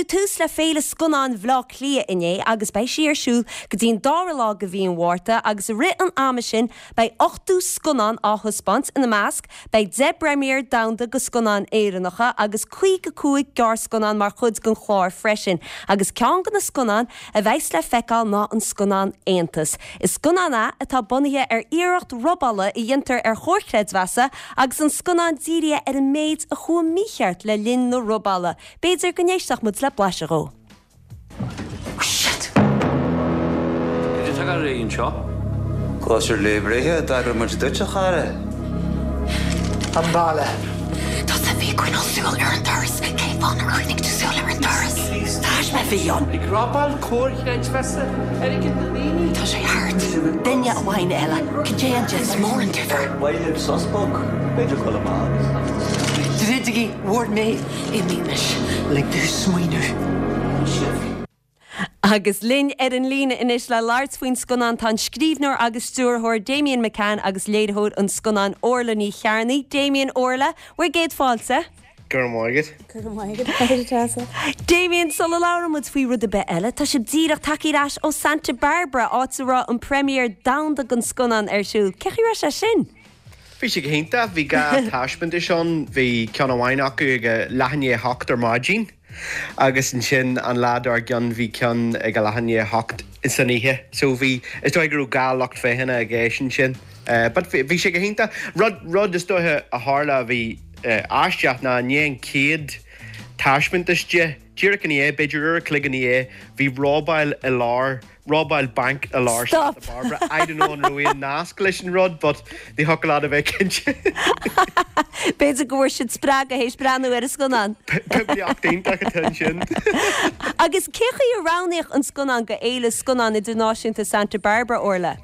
Cuireadh tús le Féile Scannán Bhaile Átha Cliath inné agus beidh sí ar siúl go dtí an dara lá de mhí an Mhárta agus i rith an ama sin beidh 80 scannán á thaispeáint, ina measc beidh 10 bpremiere domhanda de scannáin Éireannacha agus 55 gearrscannán mar chuid den chlár freisin agus ceann de na scannáin a bheas le feiceáil ná an scannán Aontas. Is scannán é atá bunaithe ar iarracht robála a dhéantar ar chomhar creidmheasa agus an scannán dírithe ar an méid a chuaigh mícheart le linn na robála. B'fhéidir go n-éistfeadh muid le blaiseadh dhó. Oh shit! Cad é atá ag dul ar aghaidh anseo? Cóisir lae breithe a d'eagraigh muid duit, a chara. An baile. Tusa a bhí ag coinneáil súil ar an doras, cén fáth nár choinnigh tú súil ar an doras? Taisme a bhí ann. Ag robáil comhair chreidmheasa, airgead na ndaoine. Tá sé thart. Duine amháin eile. Cad é an difear? Is mór an difear. Mhaith libh sos beag? B'fhéidir dul amach. Druidigí bhur mbéil. Imímis. Lig domh smaoineamh. Agus linn ar an líne anois le labhairt faoin scannán tá an scríbhneoir agus stiúrthóir Damian McCann agus léiritheoir an scannáin Orla Ní Chearnaigh. Damian, Orla, bhur gcéad fáilte. Go raibh maith agat. Go raibh maith agat, a Treasa. Damian, sula labhrann muid faoi rud ar bith eile, tá sibh díreach tagtha ar ais ó Santa Barbara, áit a raibh an premiere domhanda den scannán ar siúl. Cén chaoi a raibh sé sin? Bhí sé go hiontach. Bhí 2 taispeántas ann. Bhí ceann amháin acu ag a leath i ndiaidh a hocht ar maidin agus ansin an lá dár gcionn bhí ceann ag a leath i ndiaidh a hocht san oíche. So bhí, is dóigh go raibh 2 lucht féachana i gceist ansin. But bhí sé go hiontach. Rud, rud is dóiche a tharla a bhí aisteach ná i ndiaidh an chéad taispeántas de, díreach ina dhiaidh, b'fhéidir uair a chloig ina dhiaidh, bhí robáil i lár Robáil banc i lár Stop! Santa Barbara. I don't know an raibh aon nasc leis an rud but ní thiocfadh leat a bheith cinnte. B'fhéidir go bhfuair siad spreagadh théis breathnú ar an scannán. Poiblíocht iontach atá ansin. Agus cén chaoi a roghnaíodh an scannán go Fhéile Scannán Idirnáisiúnta Santa Barbara, Orla?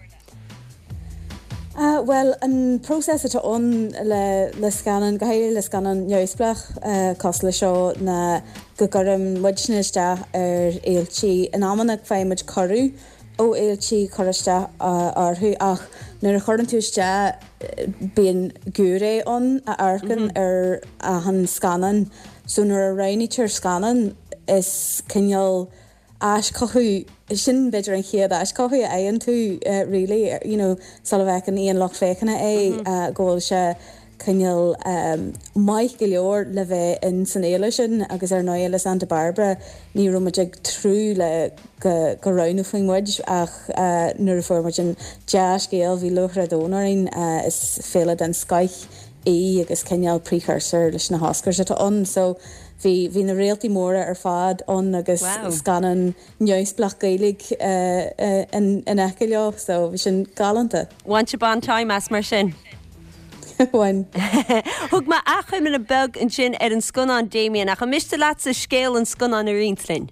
Bhuel, an próiseas atá ann le le scannán, go háirithe le scannán neamhspleách cosúil le seo, ná go gcuireann muidne isteach ar fhéiltí. In amanna faigheann muid cuireadh ó fhéiltí cur isteach orthu ach nuair a chuireann tú isteach bíonn giúiré ann a amharcann ar achan scannán. So nuair a roghnaítear scannán is cineál aischothú, sin b'fhéidir an chéad aischothú a fhaigheann tú really, you know, sula bhfeiceann aon lucht féachana é, go bhfuil sé cineál maith go leor le bheith in san fhéile sin agus ar ndóigh le Santa Barbara ní raibh muid ag tnúth le go go roghnófaí muid ach nuair a fuair muid an dea-scéal bhí lúcháir an domhain orainn, is féile den scoith í agus cineál precursor leis na hOscars atá ann so bhí bhí na réaltaí móra ar fad ann agus Wow. scannán neamhspleách Gaeilge in in aice leo so bhí sin galánta. Bhain sibh an-time as mar sin. Bhain. Thug mé achoimre beag ansin ar an scannán Damien ach an miste leatsa scéal an scannáin a roinnt linn?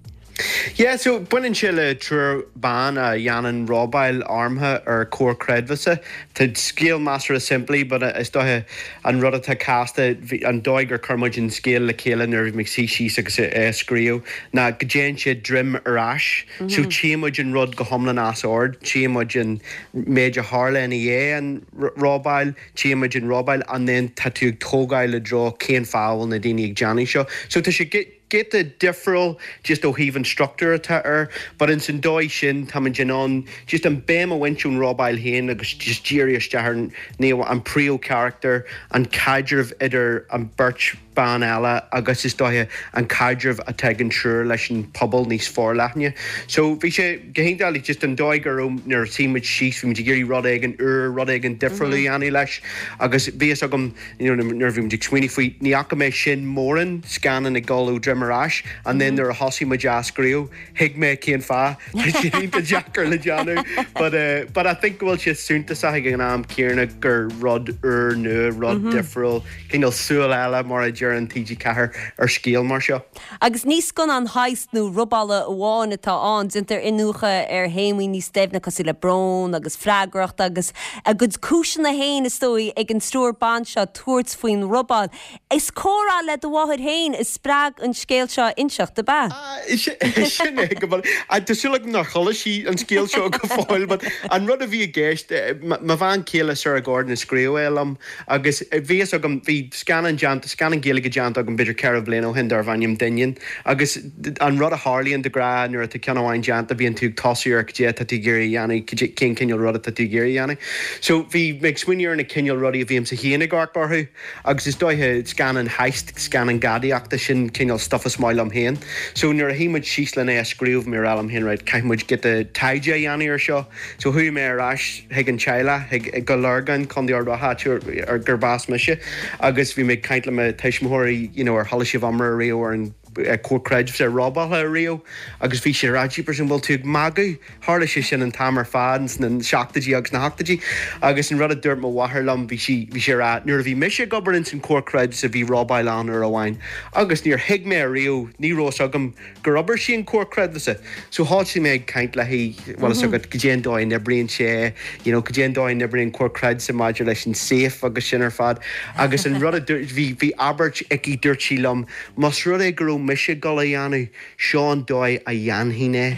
Yeah, so baineann sé le triúr ban a dhéanann robáil armtha ar comhar creidmheasa. Tá scéal measartha simplí but is dóiche an rud atá casta, an dóigh gur chuir muid an scéal le chéile nuair a bhí muid ag suí síos agus é a scríobh ná go dtéann sé droim ar ais. So tchíonn muid an rud go hiomlán as ord, tchíonn muid an méid a tharla ina dhiaidh an robáil, tchíonn muid an robáil and then tá tú ag tógáil i dtreo cén fáth a bhfuil na daoine ag déanamh seo. So tá sé giota difriúil just ó thaobh an struchtúr atá air but ins an dóigh sin táimid in ann just an béim a bhaint ón robáil féin agus just díriú isteach ar ní an príomhcharachtar, an caidreamh idir an beirt ban eile agus is dóiche an caidreamh atá ag an triúr leis an pobal níos forleithne. So bhí sé go hiontach like just an dóigh go raibh nuair a shuigh muid síos bhí muid ag iarraidh rud éigin úr, rud éigin difriúil a dhéanamh leis agus bhí fhios agam you know nuair a bhí muid ag smaoineamh faoi, ní fhaca mé sin mórán scannán ag dul ó droim ar ais and then nuair a thosaigh muid á scríobh, thuig mé cén fáth, tá sé iontach deacair le déanamh but eh but I think go bhfuil sé suntasach ag an am céanna gur rud úr nua, rud difriúil, cineál súil eile mar a deireann TG4 ar scéal mar seo. Agus ní scannán heist nó robála amháin atá ann, déantar iniúchadh ar théamaí níos doimhne cosúil le brón agus freagracht agus a gcuid cúiseanna féin, is dóigh, ag an triúr ban seo tabhairt faoin robáil. Is comhrá le do mháthair féin a spreag an scéal seo a inseacht, ab ea? Sin é go bhfuil. Tá súil agam nár chuala sí an scéal seo go fóill but an rud a bhí i gceist, mo bhean chéile Sarah Gordon a scríobh é liom agus bhí fhios agam, bhí scannán déanta, scannán Gaeilge. Gaeilge déanta agam b'fhéidir 4 bliana ó shin darbh ainm Doineann agus an rud a tharlaíonn de ghnáth nuair atá ceann amháin déanta bíonn tú ag tosú ar cad é atá tú ag iarraidh a dhéanamh, cad é, cén cineál rud atá tú ag iarraidh a dhéanamh. So bhí mé ag smaoineamh ar na cineál rudaí a bhímse féin ag amharc orthu agus is dóiche scannáin heist, scannáin gadaíochta, sin cineál stuff is maith liom féin. So nuair a shuigh muid síos len é a scríobh bhí mé ag rá liom féin right caithfidh muid giota taighde a dhéanamh ar seo. So chuaigh mé ar ais chuig an teaghlach, chuig, go Lurgan, Contae Ard Mhacha, áit ar gurb as mise, agus bhí mé ag caint le mo tuismitheoirí, you know, ar chuala sibh iomrá ariamh ar an comhar creidmheasa robáilte ariamh? Agus bhí siad ag rá, jeepers, an bhfuil tú ag magadh? Tharla sé sin an t-am ar fad ins na seachtóidí agus na hochtóidí. Agus an rud a dúirt mo mháthair liom, bhí sí, bhí sí ag rá, nuair a bhí mise ag obair ins an comhar creidmheasa bhí robáil ann uair amháin agus níor thuig mé ariamh, ní raibh fhios agam gur oibir sí an comhar creidmheasa. So thosaigh mé ag caint léi, bhfuil fhios agat, goidé an dóigh a n-oibríonn sé, you know, goidé an dóigh a n-oibríonn comhar creidmheasa maidir leis an safe agus sin ar fad. Agus an rud a dúirt, bhí, bhí abairt aici, dúirt sí liom, más rud é go raibh mise ag dul a dhéanamh, seo an dóigh a dhéanfainn é.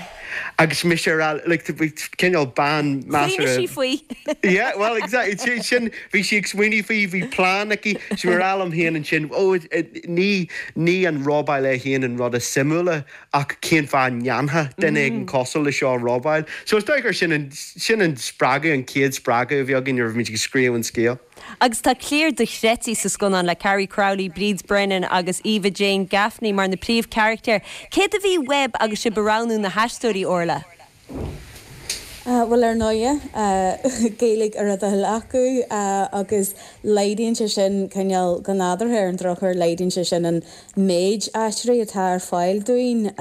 Agus mise ag rá, like, cineál bean measartha. Smaoinigh sí faoi. Yeah, well, exactly, sin, bhí sí ag smaoineamh faoi, bhí plean aici. So mé ag rá liom féin ansin, oh, ní, ní an robáil é féin an rud is suimiúla ach cén fáth a ndéanfadh duine éigin cosúil le seo robáil. So is dóigh gur sin an, sin an spreagadh, an chéad spreagadh a bhí againn nuair a bhí muid ag scríobh an scéil. Agus tá cliar dochreidte sa scannán le Carrie Crowley, Bríd Brennan agus Eva Jane Gaffney mar na príomhcharachtair. Céard a bhí uaibh agus sibh ag roghnú na haisteoirí, Orla? Bhuel, ar ndóighe, Gaeilge ar a dtoil acu agus laghdaíonn sé sin cineál, go nádúrtha ar an drochuair, laghdaíonn sé sin an méid aisteoirí atá ar fáil dúinn.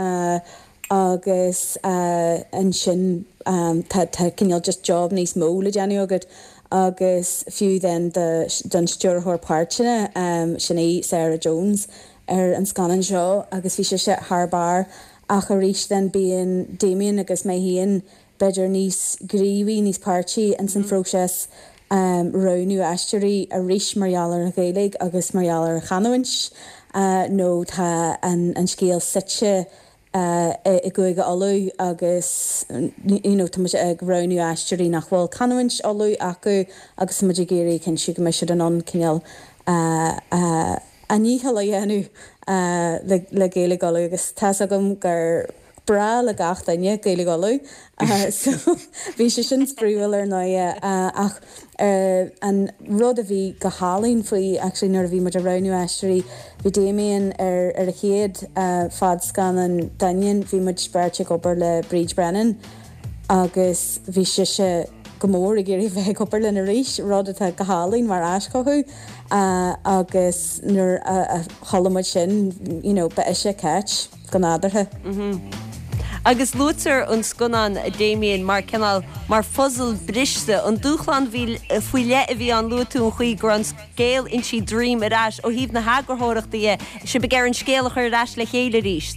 agus ansin tá tá cineál just job níos mó le déanamh agat agus fiú then do don stiúrthóir páirteanna sin í Sarah Jones ar an scannán seo agus bhí sise thar barr ach arís then bíonn Damien agus mé féin b'fhéidir níos gníomhaí, níos páirtí ins an phróiseas roghnú aisteoirí arís mar gheall ar an Ghaeilge agus mar gheall ar an chanúint nó tá an scéal suite i gCúige Uladh agus you know tá muid ag roghnú aisteoirí nach bhfuil canúint Uladh acu agus tá muid ag iarraidh cinntiú go mbeidh siad in ann cineál a ndícheall a dhéanamh le Gaeilge Uladh agus tá's agam gur breá le gach duine Gaeilge Uladh so bhí sé sin spraíúil ar ndóighe ach an rud a bhí go hálainn faoi actually nuair a bhí muid ag roghnú aisteoirí bhí Damien ar ar a chéad fadscannán Doineann bhí muid beirt ag obair le Bríd Brennan agus bhí sise go mór ag iarraidh bheith ag obair linn arís, rud atá go hálainn mar aischothú agus nuair a chuala muid sin you know ba ise Cáit. go nádúrtha. Agus luaitear an scannán, a Damien, mar cineál, mar phuzal briste. An dúshlán faoi leith a bhí ann, luaigh tú an chaoi go raibh an scéal inste droim ar ais ó thaobh na heagarthóireachta dhe, sibh ag iarraidh an scéal a chur ar ais le chéile arís.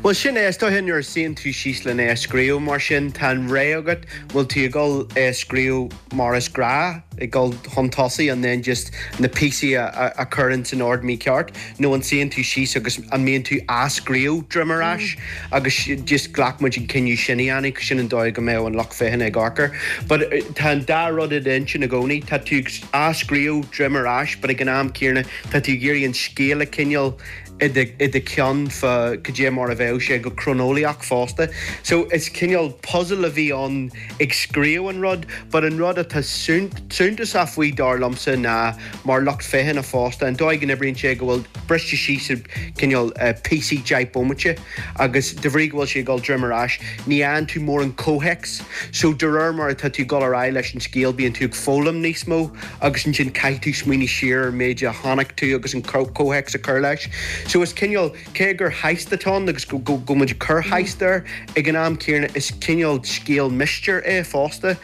Bhuel, sin é, is dóiche nuair a suíonn tú síos len é a scríobh mar sin, tá an rogha agat, bhfuil tú ag dul é a scríobh mar is gnách, ag dul chun tosaigh and then just na píosaí a chur ins an ord mícheart nó an suíonn tú síos agus an mbíonn tú á scríobh droim ar ais agus just ghlac muid an cinneadh sin a dhéanamh sin an dóigh go mbeadh an lucht féachana ag amharc air. But tá an dá rud i d'intinn i gcónaí, tá tú á scríobh droim ar ais but ag an am céanna tá tú ag iarraidh an scéal a choinneáil i do cheann fá cad é mar a bheadh sé go croineolaíoch fosta. So is cineál puzzle a bhí ann ag scríobh an rud, but an rud atá suntasach faoi dar liomsa ná mar lucht féachana fosta, an dóigh go n-oibríonn sé go bhfuil briste síos i cineál píosaí 10 bomaite agus de bhrí go bhfuil sé ag dul droim ar ais ní fhaigheann tú mórán comhthéacs. So de réir mar atá tú ag dul ar aghaidh leis an scéal bíonn tú ag foghlaim níos mó agus ansin caithfidh tú smaoineamh siar ar an méid a chonaic tú agus an comhthéacs a chur leis. So is cineál, cé gur heist atá ann agus go bhfuil muid ag cur heist air, ag an am céanna is cineál scéal mistéir é fosta.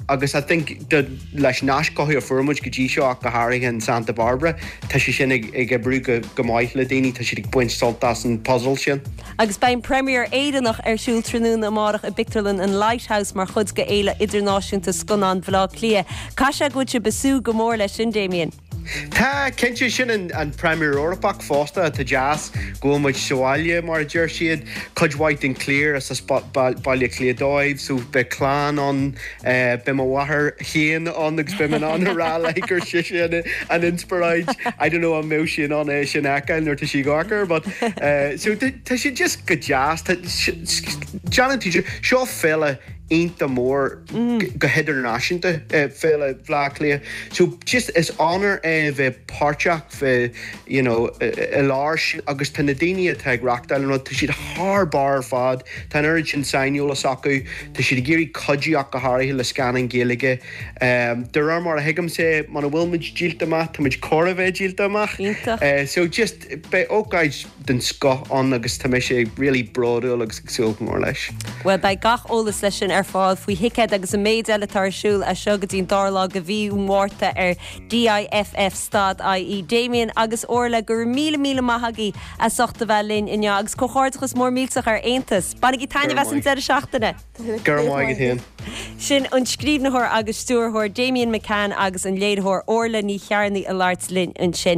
Agus I think leis an aischothú a fuair muid go dtí seo ach go háirithe in Santa Barbara, tá sé sin ag oibriú go maith le daoine, tá siad ag baint sult as an puzzle sin. Agus beidh an premiere Éireannach ar siúl tráthnóna amárach i bpictiúrlann an Lighthouse mar chuid de Fhéile Idirnáisiúnta Scannán Bhaile Átha Cliath. Caithfidh sé go bhfuil sibh ag súil go mór leis sin, Damien? Tá, cinnte, sin an premiere Eorpach fosta, atá deas go bhfuil muid sa bhaile, mar a deir siad. Cuid mhaith den chliar is as Baile Átha Cliath dóibh, so beidh clann ann, beidh mo mháthair féin ann agus beidh mé in ann a rá léi gur sise an inspioráid. I don't know an mbeidh sí in ann é sin a fheiceáil nuair atá sí ag amharc air, but so tá sé just go deas. Déanann tú, seo féile iontach mór go hidirnáisiúnta, Féile Bhaile Átha Cliath. So just is onóir é bheith páirteach, bheith you know i lár sin agus tá na daoine atá ag reachtáil an rud, tá siad thar barr ar fad, tá an oiread sin saineolas acu, tá siad ag iarraidh cuidiú ach go háirithe le scannáin Ghaeilge. De réir mar a thuigimse, muna bhfuil muid díolta amach, tá muid chóir a bheith díolta amach. Iontach. So just beidh ócáid den scoth ann agus tá mise really bródúil agus ag súil go mór leis. Bhuel, beidh gach eolas leis sin ar fáil faoi thicéid agus an méid eile atá ar siúl as seo go dtí an dara lá de mhí an Mhárta ar DIFF stad IE. Damien agus Orla, go raibh míle míle maith agaibh as ucht a bheith linn inniu agus comhghairdeachas mór millteach ar Aontas. Bainigí taitneamh as an deireadh seachtaine! Go raibh maith agat féin. Sin an scríbhneoir agus stiúrthóir Damien McCann agus an léiritheoir Orla Ní Chearnaigh ag labhairt linn ansin.